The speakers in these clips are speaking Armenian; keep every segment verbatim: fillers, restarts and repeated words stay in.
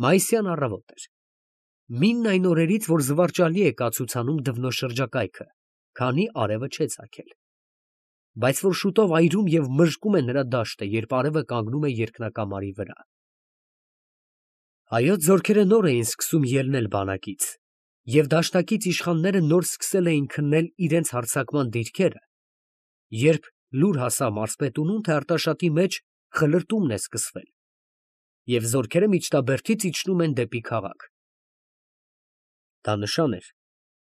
Մայիսյան առավոտ էր։ Մինն այն օրերից, որ զվարճալի է կացուցանում դվնո շրջակայքը, քանի արևը չէ ծագել, բայց որ շուտով այրում և մրժկում է նրա դաշտը, երբ արևը կանգնում է երկնակամարի վրա։ Հայոց զորքերը նոր էին սկսում ելնել բանակից, և դաշնակից իշխանները նոր սկսել էին քննել իրենց հարձակման դիրքերը, երբ լուր հասավ մարզպետունուն, թե Արտաշատի մեջ խլրտումն է սկսվել, և զորքերը միջնաբերդից իջնում են դեպի քաղաք։ Դա նշան էր,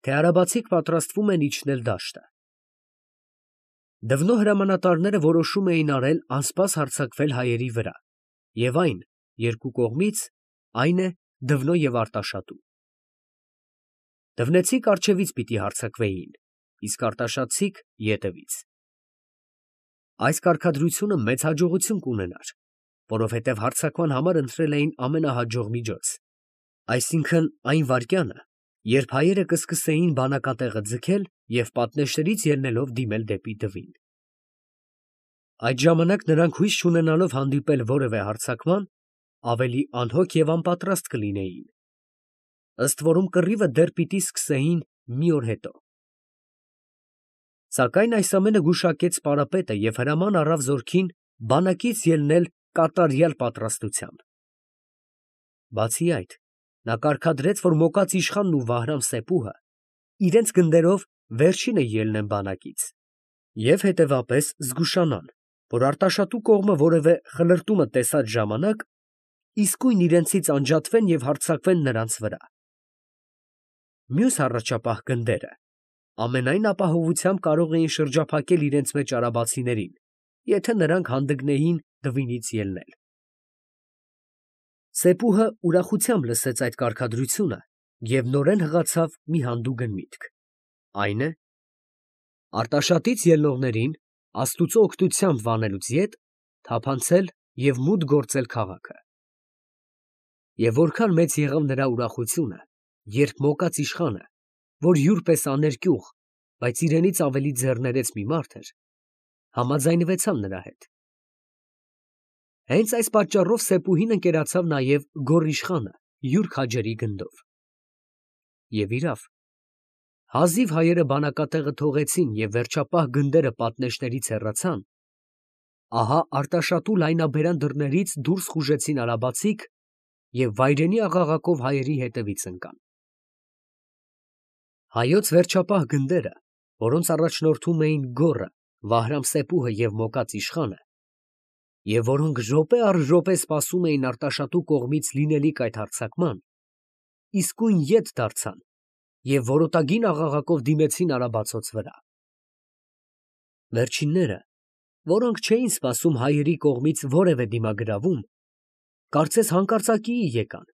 թե արաբացիք պատրաստվում են իջնել դաշտը։ Դվնո հրամանատարները որոշում էին արել անսպաս հարձակվել հայերի վրա, և այն երկու կողմից, այն է Դվնո և Արտաշատու։ Դվնեցիք առջևից պիտի հարձակվեին, իսկ արտաշատցիք ետևից։ Այս կարգադրությունը մեծ հաջողություն կունենար, որովհետև հարձակման համար ընտրել էին ամենահաջող միջոց, այսինքն այն վայրկյանը, երբ հայերը կսկսեին բանակատեղը ձգել և պատնեշներից ելնելով դիմել դեպի Դվին։ Այդ ժամանակ նրանք հույս չունենալով հանդիպել որևէ հարձակման, ավելի անհոգ և անպատրաստ կլինեին, ըստ որում կռիվը դեռ պիտի սկսեին մի օր հետո։ Սակայն այս ամենը գուշակեց պարապետը և հրաման առավ զորքին բանակից ելնել կատարյալ պատրաստությամբ։ Բացի այդ, նա կարգադրեց, որ Մոկած իշխանն ու Վահրամ֊Սեպուհը իրենց գնդերով վերջինը ելնեն բանակից և հետևապես զգուշանան, որ Արտաշատու կողմը որևէ խլրտումը տեսած ժամանակ իսկույն իրենցից անջատվեն և հարձակվեն նրանց վրա։ Մյուս առաջապահ գնդերը ամենայն ապահովությամբ կարող էին շրջափակել իրենց մեջ արաբացիներին, եթե նրանք հանդգնեին Դվինից ելնել։ Սեպուհը ուրախությամբ լսեց այդ կարգադրությունը և նորեն հղացավ մի հանդուգն միտք, այն է, Արտաշատից ելնողներին աստուծո օգնությամբ վանելուց ետ թափանցել և մուտք գործել քաղաքը։ Եվ որքան մեծ եղավ նրա ուրախությունը, երբ Մոկած իշխանը, որ յուր պես աներկյուղ, բայց իրենից ավելի ձեռներեց մի մարդ էր, համաձայնվեցավ նրա հետ։ Հենց այս պատճառով Սեպուհին ընկերացավ նաև Գոռ իշխանը յուր քաջերի գնդով։ Եվ իրավ, հազիվ հայերը բանակատեղը թողեցին և վերջապահ գնդերը պատնեշներից հեռացան, ահա Արտաշատու լայնաբերան դռներից դուրս խուժեցին արաբացիք և վայրենի աղաղակով հայերի հետևից ընկան։ Հայոց վերջապահ գնդերը, որոնց առաջնորդում էին Գոռը, Վահրամ֊Սեպուհը և Մոկած իշխանը, և որոնք րոպե առ րոպե սպասում էին Արտաշատու կողմից լինելիք այդ հարձակման, իսկույն ետ դարձան և որոտագին աղաղակով դիմեցին արաբացոց վրա։ Վերջինները, որոնք չէին սպասում հայերի կողմից որևէ դիմագրավում, կարծես հանկարծակիի եկան,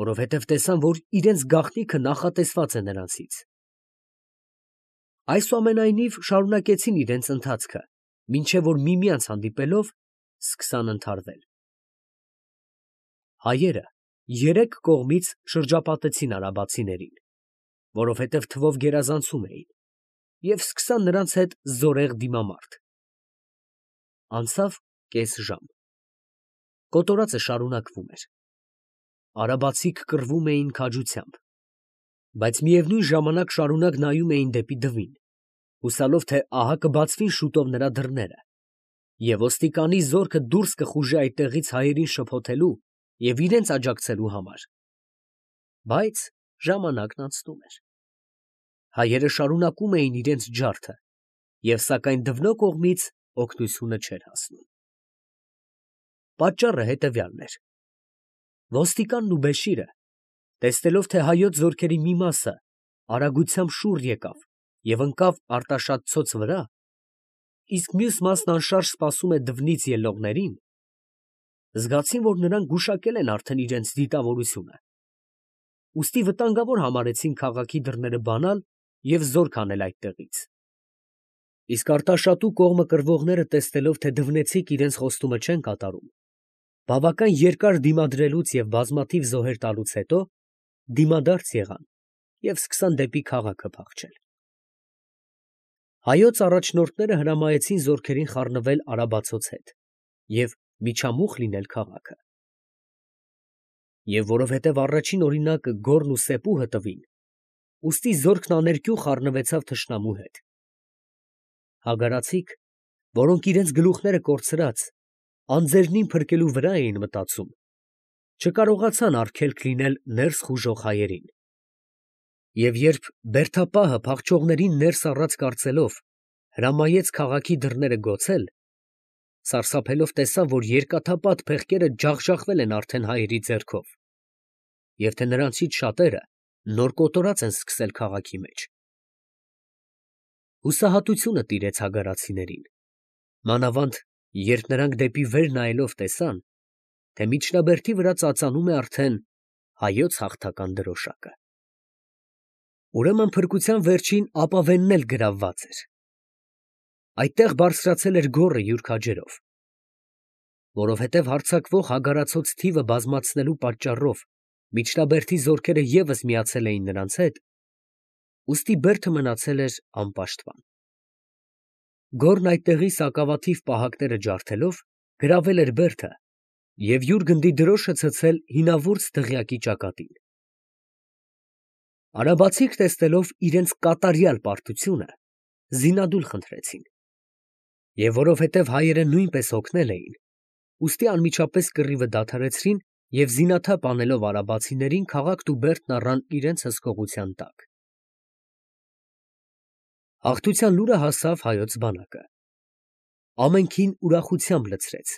որովհետև տեսան, որ իրենց գաղտնիքը նախատեսված է նրանցից։ Այսուամենայնիվ շարունակեցին իրենց ընթացքը, մինչև որ միմյանց հանդիպելով սկսան ընդհարվել։ Հայերը երեք կողմից շրջապատեցին արաբացիներին, որովհետև թվով գերազանցում էին, և սկսան նրանց հետ զորեղ դիմամարտ։ Անցավ կես ժամ։ Կոտորածը շարունակվում էր։ Արաբացիք կռվում էին քաջությամբ, բայց միևնույն ժամանակ շարունակ նայում էին դեպի Դվին, հուսալով, թե ահա կբացվին շուտով նրա դռները, և ոստիկանի զորքը դուրս կխուժի այդտեղից հայերին շփոթելու և իրենց աջակցելու համար։ Բայց ժամանակն անցնում էր։ Հայերը շարունակում էին իրենց ջարդը, և սակայն Դվնո կողմից օգնությունը չէր հասնում։ Պատճառը հետևյալն էր. ոստիկանն ու Բեշիրը, տեսնելով, թե հայոց զորքերի մի մասը արագությամբ շուռ եկավ և ընկավ Արտաշատցոց վրա, իսկ մյուս մասն անշարժ սպասում է Դվնից ելնողներին, զգացին, որ նրանք գուշակել են արդեն իրենց դիտավորությունը, ուստի վտանգավոր համարեցին քաղաքի դռները բանալ և զորք անել այդտեղից։ Իսկ Արտաշատու կողմը կռվողները տեսնելով, թե դվնեցիք իրենց խոստումը չեն կատարում, բավական երկար դիմադրելուց և բազմաթիվ զոհեր տալուց հետո, դիմադարձ եղան և սկսան դեպի քաղաքը փախչել։ Հայոց առաջնորդները հրամայեցին զորքերին խառնվել արաբացոց հետ և միջամուխ լինել քաղաքը։ Եվ որովհետև առաջին օրինակը Գոռն ու Սեպուհը տվին, ուստի զորքն աներկյուղ առնվեցավ թշնամու հետ։ Հագարացիք, որոնք իրենց գլուխները կորցրած, անձերնին փրկելու վրա էին մտածում, չկարողացան արգելք լինել ներս խուժող հայերին։ Եվ երբ բերդապահը փախչողներին ներս առած կարծելով, հրամայեց քաղաքի դռները գոցել, սարսափելով տեսավ, որ երկաթապատ փեղկերը ջախջախվել են արդեն հայերի ձեռքով, և թե նրանցից շատերը նոր կոտորած են սկսել քաղաքի մեջ։ Հուսահատությունը տիրեց հագարացիներին, մանավանդ երբ նրանք դեպի վեր նայելով տեսան, թե միջնաբերդի վրա ծածանում է արդեն հայոց հաղթական դրոշակը։ Ուրեմն փրկության վերջին ապավենն էլ գրավված էր։ Այդտեղ բարձրացել էր գոռը յուր քաջերով, որովհետև հարձակվող հագարացոց թիվը բազմացնելու պատճառով միջնաբերդի զորքերը ևս միացել էին նրանց հետ, ուստի բերդը մնացել էր անպաշտպան։ Գոռն այդտեղի սակավաթիվ պահակները ջարդելով գրավել էր բերդը և յուր գնդի դրոշը ցցել հինավուրց դղյակի ճակատին։ Արաբացիք տեսնելով իրենց կատարյալ պարտությունը, զինադուլ խնդրեցին, և որովհետև հայերը նույնպես հոգնել էին, ուստի անմիջապես կռիվը դադարեցրին և զինաթափ անելով արաբացիներին քաղաքն ու բերդն առան իրենց հսկողության տակ։ Հաղթության լուրը հասավ հայոց բանակը։ Ամենքին ուրախությամբ լցրեց,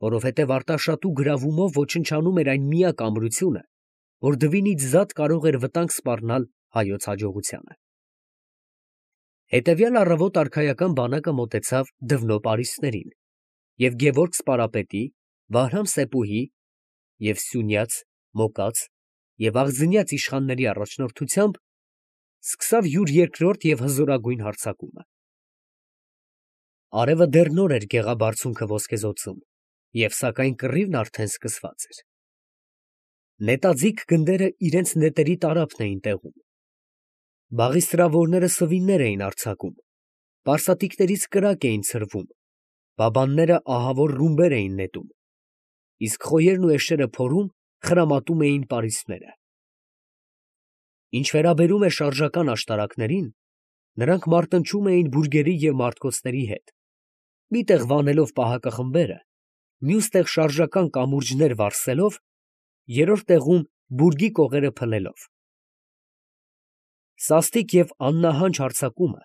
որովհետև Արտաշատու գրավումով ոչնչանում էր այն միակ ամրությունը, որ դվինից զատ կարող էր վտանգ սպառնալ հայոց հաջողությանը։ Հետևյալ առավոտ արքայական բանակը մոտեցավ Դվնո պարիսպներին և Գևորգ սպարապետի, Վահրամ Սեպուհի և Սյունյաց, Մոկած և Աղձնյաց իշխանների առաջնորդությամբ սկսավ յուր երկրորդ և հզորագույն հարձակումը։ Արևը դեռ նոր էր գեղաբարձունքը ոսկեզօծում, և սակայն կռիվն արդեն սկսված էր։ Նետաձիգ գնդերը իրենց նետերի տարափն էին տեղում։ Բաղիստրավորները սվիններ էին արձակում, պարսատիկներից կրակ էին ցրվում, բաբանները ահավոր ռումբեր էին նետում, իսկ խոյերն ու էշերը փորում, խրամատում էին պարիսպները։ Ինչ վերաբերում է շարժական աշտարակներին, նրանք մարտնչում էին բուրգերի և մարտկոցների հետ, մի տեղ վանելով պահակախմբերը, մյուս տեղ շարժական կամուրջներ վառսելով, երրորդ տեղում բուրգի կողերը փլելով։ Սաստիկ և աննահանջ հարձակումը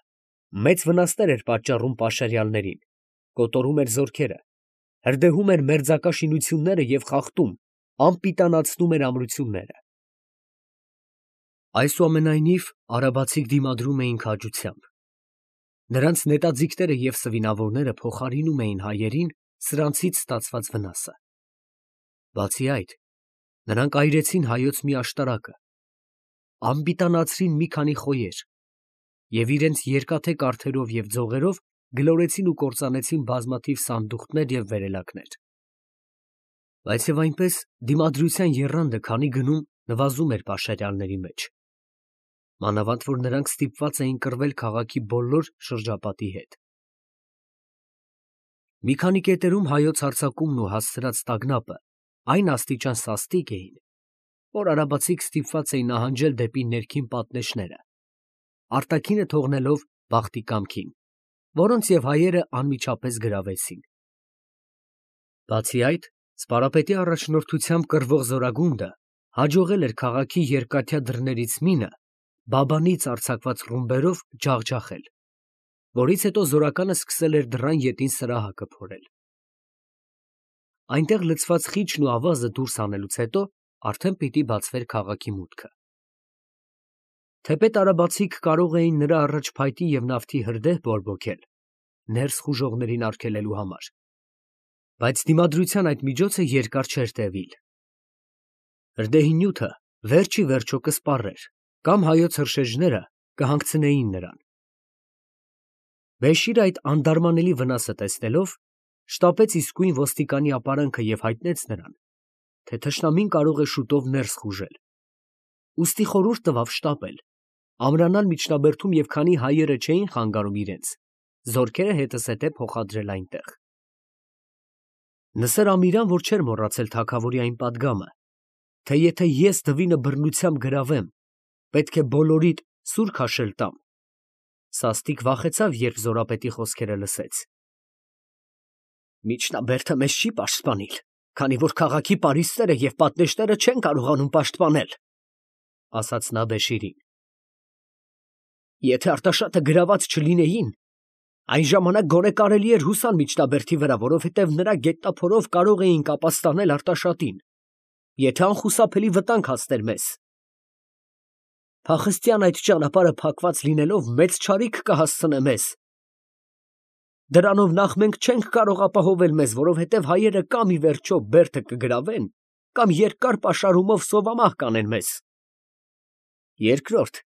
մեծ վնասներ էր պատճառում պաշարյալներին, կոտորում էր զորքերը, հրդեհում էր մերձակա շինությունները և խախտում, անպիտանացնում էր ամրությունները։ Այսուամենայնիվ արաբացիք դիմադրում էին քաջությամբ։ Նրանց նետաձիգները և սվինավորները փոխարինում էին հայերին սրանցից ստացված վնասը։ Բացի այդ, նրանք այրեցին հայոց մի աշտարակը, անպիտանացրին մի քանի խոյեր և իրենց երկաթե կառթերով և ձողերով գլորեցին ու կործանեցին բազմաթիվ սանդուղքներ և վերելակներ։ Բայց և այնպես դիմադրության եռանդը քանի գնում նվազում էր պաշարյալների մեջ, մանավանդ որ նրանք ստիպված էին կռվել քաղաքի բոլոր շրջապատի հետ։ Մի քանի կետերում հայոց հարձակումն ու հասցրած տագնապը այն աստիճան սաստիկ էին, որ արաբացիք ստիպված էին նահանջել դեպի ներքին պատնեշները, արտաքինը թողնելով բախտի կամքին, որոնց և հայերը անմիջապես գրավեցին։ Բացի այդ, Սպարապետի առաջնորդությամբ կռվող զորագունդը հաջողել էր քաղաքի երկաթյա դռներից մինը բաբանից արձակված ռումբերով ջախջախել, որից հետո զորականը սկսել էր դռան ետին սրահակը փորել։ Այնտեղ լցված խիչն ու ավազը դուրս հանելուց հետո արդեն պիտի բացվեր քաղաքի մուտքը։ Թեպետ արաբացիք կարող էին նրա առաջ փայտի և նավթի հրդեհ բորբոքել, ներս խուժողներին արգելելու համար, բայց դիմադրության այդ միջոցը երկար չէր տևիլ։ Հրդեհի նյութը վերջ ի վերջո կսպառեր, կամ հայոց հրշեջները կհանգցնեին նրան։ Բեշիրը այդ անդարմանելի վնասը տեսնելով, շտապեց իսկույն ոստիկանի ապարանքը և հայտնեց նրան, թե թշնամին կարող է շուտով ներս խուժել, ուստի խորհուրդ տվավ շտապել, ամրանալ միջնաբերդում և քանի հայերը չէին խանգարում իրենց, զորքերը հետզհետե փոխադրել այնտեղ։ Նսր Ամիրան, որ չէր մոռացել թագավորի այն պատգամը, թե եթե ես դվինը բռնությամբ գրավեմ, պետք է բոլորիդ սուր քաշել տամ։ Սաստիկ վախեցավ, երբ Զորապետի խոսքերը լսեց։ Միջնաբերդը մեզ չի պաշտպանիլ, քանի որ քաղաքի պարիսպները և պատնեշները չեն կարողանում պաշտպանել, ասաց նա Բեշիրին։ Եթե Արտաշատը գրաված չլինեին, այն ժամանակ գոնե կարելի էր հուսալ միջնաբերդի վրա, որովհետև նրա գետնափորով կարող էինք ապաստանել Արտաշատին, եթե անխուսափելի վտանգ հասներ մեզ։ Փախստյան այդ ճանապարհը փակված լինելով մեծ չարիք կհասցնե մեզ։ Դրանով նախ մենք չենք կարող ապահովել մեզ, որովհետև հայերը կամ ի վերջո բերդը կգրավեն, կամ երկար պաշարումով սովամահ կանեն մեզ։ Երկրորդ,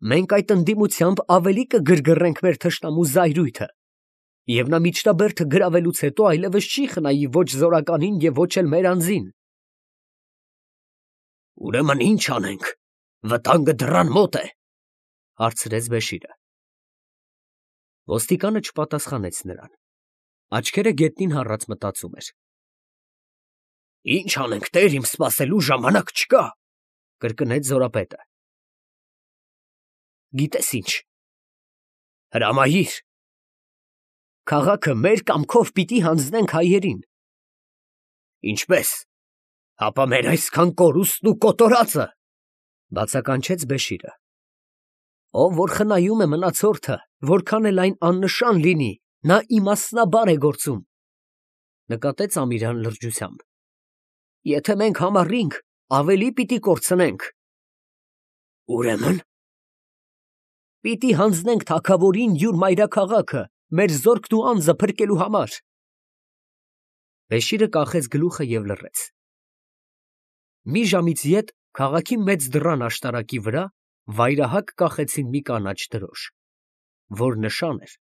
մենք այդ ընդդիմությամբ ավելի կգրգռենք մեր թշնամու զայրույթը, և նա միջնաբերդը գրավելուց հետո այլևս չի խնայի ոչ զորականին և ոչ էլ մեր անձին։ Ուրեմն ի՞նչ անենք, վտանգը դռան մոտ է, հարցրեց Բեշիրը։ Ոստիկանը չպատասխանեց նրան, աչքերը գետնին հառած մտածում էր։ Ի՞նչ անենք, տեր իմ, սպասելու ժամանակ չկա, կրկնեց Զորապետը։ Գիտես ինչ, հրամայիր, քաղաքը մեր կամքով պիտի հանձնենք հայերին։ Ինչպես, հապա մեր այսքան կորուստն ու կոտորածը, բացականչեց Բեշիրը։ Ով որ խնայում է մնացորդը, որքան էլ այն աննշան լինի, նա իմաստնաբար է գործում, նկատեց Ամիրան լրջությամբ։ Եթե մենք համառենք, ավելի պիտի կորցնենք։ Ուրեմն պիտի հանձնենք թագավորին յուր մայրաքաղաքը, մեր զորքն ու անձը փրկելու համար։ Բեշիրը կախեց գլուխը և լռեց։ Մի ժամից ետ քաղաքի մեծ դռան աշտարակի վրա վայրահակ կախեցին մի կանաչ դրոշ, որ նշան էր,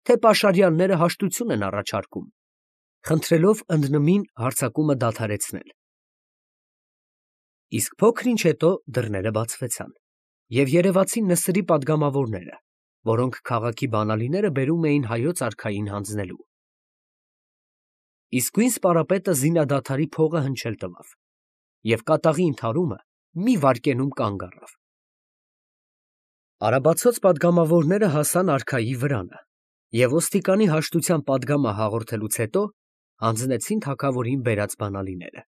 թե պաշարյալները հաշտություն են առաջարկում, խնդրելով ընդնմին հարձակումը դադարեցնել։ Իսկ փոքր ինչ հետո դռները բացվեցան, և երևացին Նսրի պատգամավորները, որոնք քաղաքի բանալիները բերում էին հայոց արքային հանձնելու։ Իսկույն սպարապետը զինադադարի փողը հնչել տվավ, և կատաղի ընդհարումը մի վայրկենում կանգ առավ։ Արաբացոց պատգամավորները հասան արքայի վրանը և ոստիկանի հաշտության պատգամը հաղորդելուց հետո հանձնեցին թագավորին բերած բանալիները։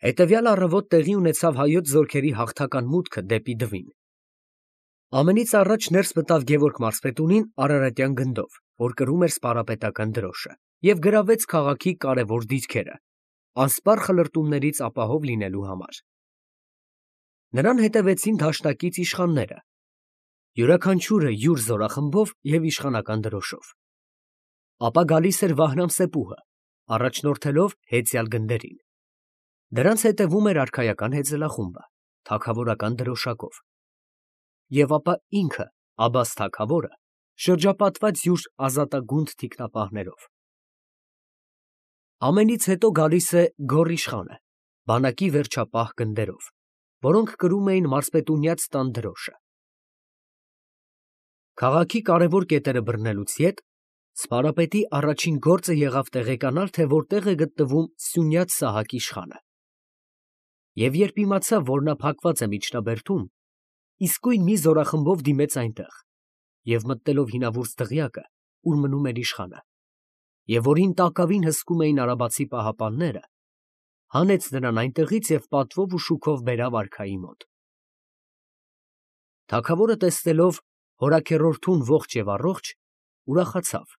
Հետևյալ առավոտ տեղի ունեցավ հայոց զորքերի հաղթական մուտքը դեպի Դվին։ Ամենից առաջ ներս մտավ Գևորգ մարզպետունին արարատյան գնդով, որ կրում էր սպարապետական դրոշը, և գրավեց քաղաքի կարևոր դիրքերը, անսպառ խլրտումներից ապահով լինելու համար։ Նրան հետևեցին դաշնակից իշխանները, յուրաքանչյուրը յուր զորախմբով և իշխանական դրոշով։ Ապա գալիս էր Վահրամ-Սեպուհը, առաջնորդելով հեծյալ գնդերին։ Դրանց հետևում էր արքայական հեծելախումբը, թագավորական դրոշակով։ Եվ ապա ինքը Աբբաս թագավորը, շրջապատված յուր ազատագունդ թիկնապահներով։ Ամենից հետո գալիս է Գոռ իշխանը, բանակի վերջապահ գնդերով, որոնք կրում էին մարզպետունյաց տան դրոշը։ Քաղաքի կարևոր կետերը բռնելուց ետ սպարապետի առաջին գործը եղավ տեղեկանալ, թե որտեղ է գտնվում Սյունյաց Սահակ իշխանը։ Եվ երբ իմացավ, որ նա փակված է միջնաբերդում, իսկույն մի զորախմբով դիմեց այնտեղ, և մտնելով հինավուրց դղյակը, ուր մնում էր իշխանը, և որին տակավին հսկում էին արաբացի պահապանները, հանեց նրան այնտեղից և պատվով ու շուքով բերավ արքայի մոտ։ Թագավորը տեսնելով հորաքեռորդուն ողջ և առողջ, ուրախացավ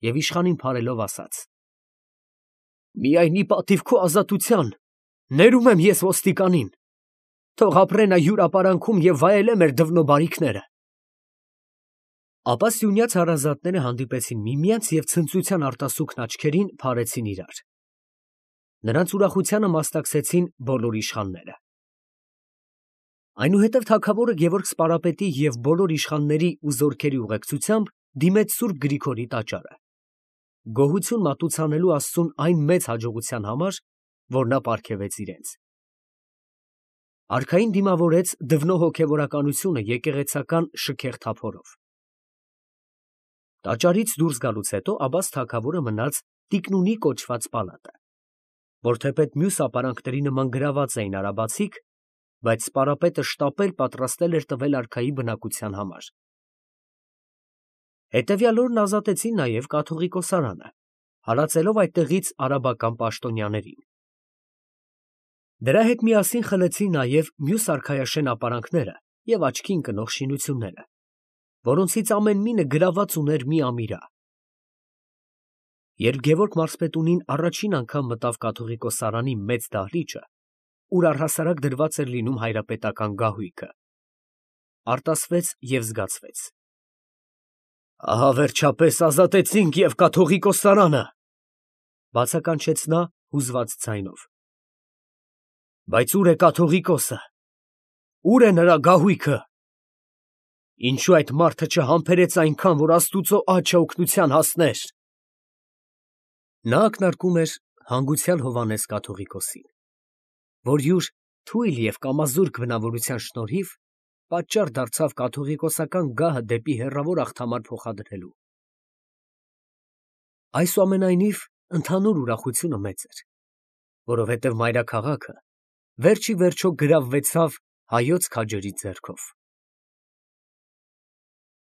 և իշխանին բարելով ասաց. Միայն ի պատիվ քո ազատության ներում եմ ես ոստիկանին, թող ապրե նա յուր ապարանքում և վայելե մեր դվնո բարիքները։ Ապա Սյունյաց հարազատները հանդիպեցին միմյանց և ցնծության արտասուքն աչքերին փարեցին իրար։ Նրանց ուրախությանը մասնակցեցին բոլոր իշխանները։ Այնուհետև թագավորը Գևորգ սպարապետի և բոլոր իշխանների ու զորքերի ուղեկցությամբ դիմեց Սուրբ Գրիգորի տաճարը, գոհություն մատուցանելու աստծուն այն մեծ հաջողության համար, որ նա պարգևեց իրենց։ Արքային դիմավորեց դվնո հոգևորականությունը եկեղեցական շքեղ թափորով։ Տաճարից դուրս գալուց հետո Աբբաս թագավորը մնաց Տիկնունի կոչված պալատը։ որ թեպետ մյուս ապարանքների նման գրաված էին արաբացիք, բայց սպարապետը շտապել պատրաստել էր տվել արքայի բնակության համար։ Հետևյալ օրն ազատեցին նաև կաթողիկոսարանը, հարածելով այդտեղից արաբական պաշտոնյաներին։ Դրա հետ միասին խլեցին նաև մյուս արքայաշեն ապարանքները և աչքի ընկնող շինությունները, որոնցից ամեն մինը գրաված ուներ մի ամիրա։ Երբ Գևորգ մարզպետունին առաջին անգամ մտավ կաթողիկոսարանի մեծ դահլիճը, ուր առհասարակ դրված էր լինում հայրապետական գահույքը, արտասվեց և զգացվեց. «Ահա վերջապես ազատեցինք և կաթողիկոսարանը», ֊ բացականչեց նա հուզված ձայնով։ «Բայց ո՞ւր է կաթողիկոսը, ո՞ւր է նրա գահույքը, ինչո՞ւ այդ մարդը չհամբերեց այնքան, որ աստուծո աջը օգնության հասներ»։ Նա ակնարկում էր հանգուցյալ Հովհաննես կաթողիկոսին, որ յուր թույլ և կամազուրկ բնավորության շնորհիվ պատճառ դարձավ կաթողիկոսական գահը դեպի հեռավոր Աղթամար փոխադրելու։ Այսուամենայնիվ, ընդհանուր ուրախությունը մեծ էր, որովհետև մայրաքաղաքը վերջ ի վերջո գրավվեցավ հայոց քաջերի ձեռքով։